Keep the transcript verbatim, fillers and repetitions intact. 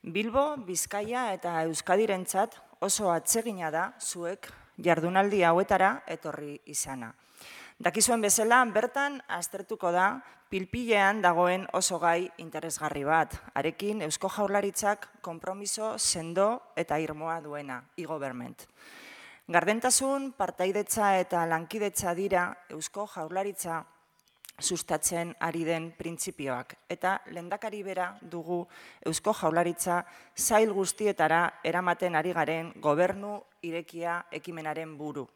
Bilbo, Bizkaia eta Euskadirentzat oso atsegina da zuek jardunaldi hauetara etorri izana. Dakizuen bezala, bertan aztertuko da pilpilean dagoen oso gai interesgarri bat, arekin Eusko Jaurlaritzak konpromiso sendo eta irmoa duena, e-government. Gardentasun, partaidetza eta lankidetza dira Eusko Jaurlaritza sustatzen ari den printzipioak, eta lehendakari bera dugu Eusko Jaurlaritza sail guztietara eramaten ari garen gobernu irekia ekimenaren buru.